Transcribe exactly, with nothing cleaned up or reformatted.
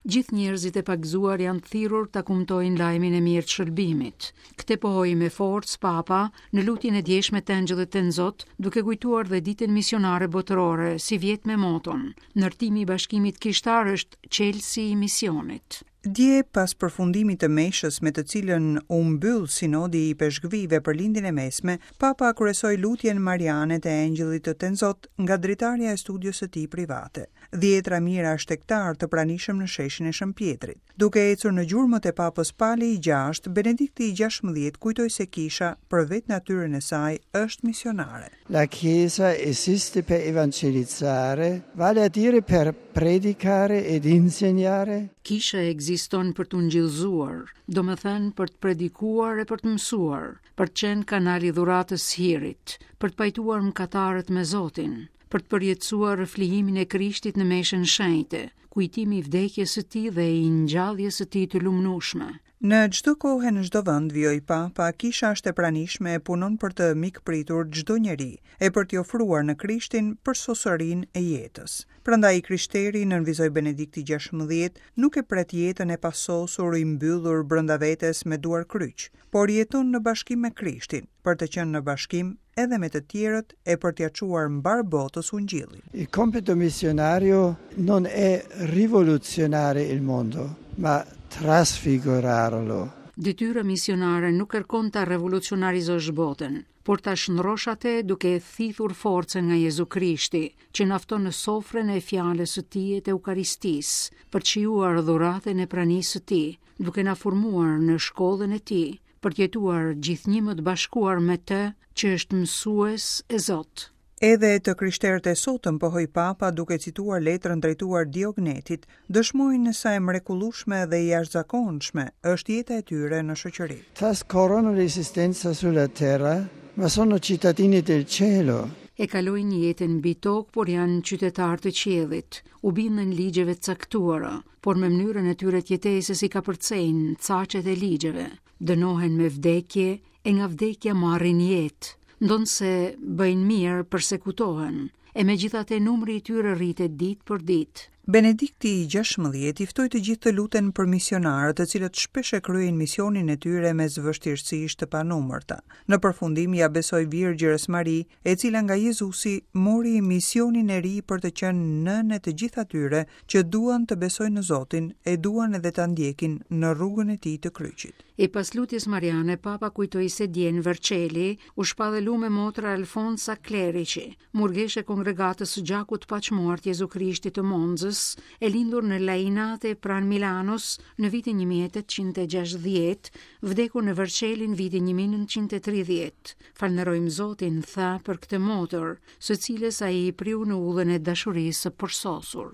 Gjithë njerëzit e pagëzuar janë të thirrur ta kumtojnë lajmin e mirë të shëlbimit. Këtë pohoi me forcë Papa në lutjen e djeshme të Engjëllit Tenzot, duke kujtuar dhe ditën misionare botërore, si vjet me moton. Ndërtimi i bashkimit kishtar është çelësi i misionit. Dje, pas përfundimit të meshës me të cilën u mbyll sinodi i ipeshkvijve për Lindjen e Mesme, Papa kryesoi lutjen mariane të Engjëllit të Tenzot nga dritarja e studios së tij private. Dhjetra mijëra shtegtar të pranishëm në sheshin e Shën Pjetrit. Duke ecur në gjurmët e Papës Pali i gjashtë, Benedikti i gjashtëmbëdhjetë kujtoi se kisha, për vetë natyrën e saj, është misionare. La Chiesa esiste per evangelizzare, vale a dire per predicare ed insegnare. Kisha ekziston për të ungjillëzuar, domethënë për të predikuar e për të mësuar, për të qenë kanal i dhuratës së hirit, për të pajtuar mëkatarët me Zotin, për të përjetësuar flijimin e Krishtit në meshën shenjte, kujtimi i vdekjes së tij dhe i ngjalljes së tij të lumnueshme. Në çdo kohë e në çdo vend, vijoi Papa, kisha është e pranishme e punon për të mikpritur çdo njeri e për t'i ofruar në Krishtin përsosurinë e jetës. Prandaj i krishteri, nënvizoi Benedikti gjashtëmbëdhjetë, nuk e pret jetën e pasosur i mbyllur brenda vetes me duar kryq, por jeton në bashkim me Krishtin, për të qenë në bashkim edhe me të tjerët e për t'ia çuar mbar botës ungjillin. Il compito missionario non è rivoluzionare il mondo, ma trasfigurarlo. Detyra misionare nuk kërkon ta revolucionarizosh botën, por ta shndrosh atë duke e thithur forcën nga Jezu Krishti, që na fton në sofrën e fjalës së tij e të Eukaristisë, për të shijuar dhuratën e pranisë së tij, duke na formuar në shkollën e tij, për të jetuar gjithnjë më të bashkuar me të, që është mësues e Zot. Edhe të krishterët e sotëm, pohoi Papa duke cituar letrën drejtuar Diognetit, dëshmojnë sa e mrekullueshme dhe e jashtëzakonshme është jeta e tyre në shoqëri. Trascorrono l'esistenza sulla terra, ma sono cittadini del cielo. E kalojnë jetën mbi tokë, por janë qytetarë të qiellit, u binden ligjeve të caktuara, por me mënyrën e tyre të jetesës i kapërcejnë caqet e ligjeve, dënohen me vdekje e nga vdekja marrin jetë, ndonëse bëjnë mirë, persekutohen, e megjithatë numri i tyre rritet ditë për ditë. Benedikti i gjashtëmbëdhjetë i ftoi të gjithë të luten për misionarët, të cilët shpesh e kryejnë misionin e tyre mes vështirësish të panumërta. Në përfundim ja besoi Virgjërës Mari, e cila nga Jezusi mori misionin e ri për të qenë nënë e të gjithë atyre që duan të besojnë në Zotin e duan edhe ta ndjekin në rrugën e tij të kryqit. E pas lutjes Mariane, Papa kujtoi se dje në Vercelli u shpall lume motra Alfonsa Klerici, murgeshe e kongregatës së gjakut të paqmuar të Jezu Krishtit të Monzës, e lindur në Lainate pranë Milanos në vitin një mijë e tetëqind e gjashtëdhjetë, vdekur në Vercelli në vitin një mijë e nëntëqind e tridhjetë. Falënderojmë Zotin, tha, për këtë motër, së cilës ai i priu në udhën e dashurisë së përsosur.